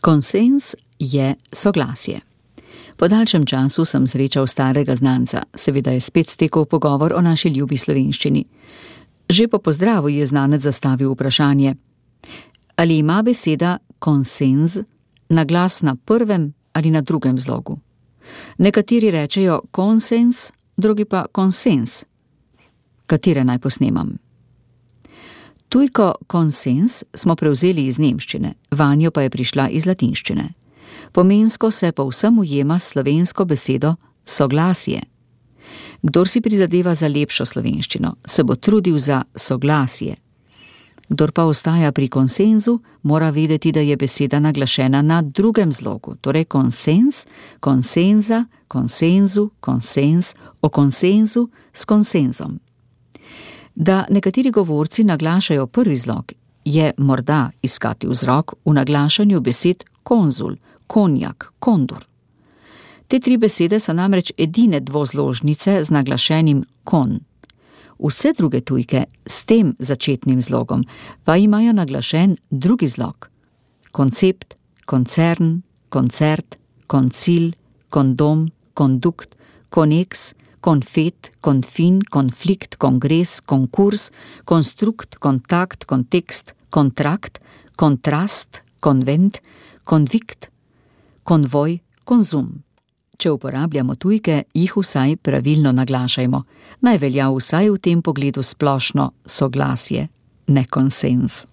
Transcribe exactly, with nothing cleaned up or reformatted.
Konsens je soglasje. Po daljšem času sem srečal starega znanca, seveda je spet stekel pogovor o naši ljubi slovenščini. Že po pozdravu je znanec zastavil vprašanje: ali ima beseda konsens naglas na prvem ali na drugem zlogu? Nekateri rečejo konsens, drugi pa konsens. Katere naj posnemam? Tujko konsens smo prevzeli iz nemščine, vanjo pa je prišla iz latinščine. Pomensko se povsem ujema s slovensko besedo soglasje. Kdor si prizadeva za lepšo slovenščino, se bo trudil za soglasje. Kdor pa ostaja pri konsenzu, mora vedeti, da je beseda naglašena na drugem zlogu, torej konsens, konsenza, konsenzu, konsens, o konsenzu s konsenzom. Da nekateri govorci naglašajo prvi zlog, je morda iskati vzrok v naglašanju besed konzul, konjak, kondur. Te tri besede so namreč edine dvozložnice z naglašenim kon. Vse druge tujke s tem začetnim zlogom pa imajo naglašen drugi zlog. Koncept, koncern, koncert, koncil, kondom, kondukt, koneks, konfet, konfin, konflikt, kongres, konkurs, konstrukt, kontakt, kontekst, kontrakt, kontrast, konvent, konvikt, konvoj, konzum. Če uporabljamo tujke, jih vsaj pravilno naglašajmo. Naj velja vsaj v tem pogledu splošno soglasje, ne konsens.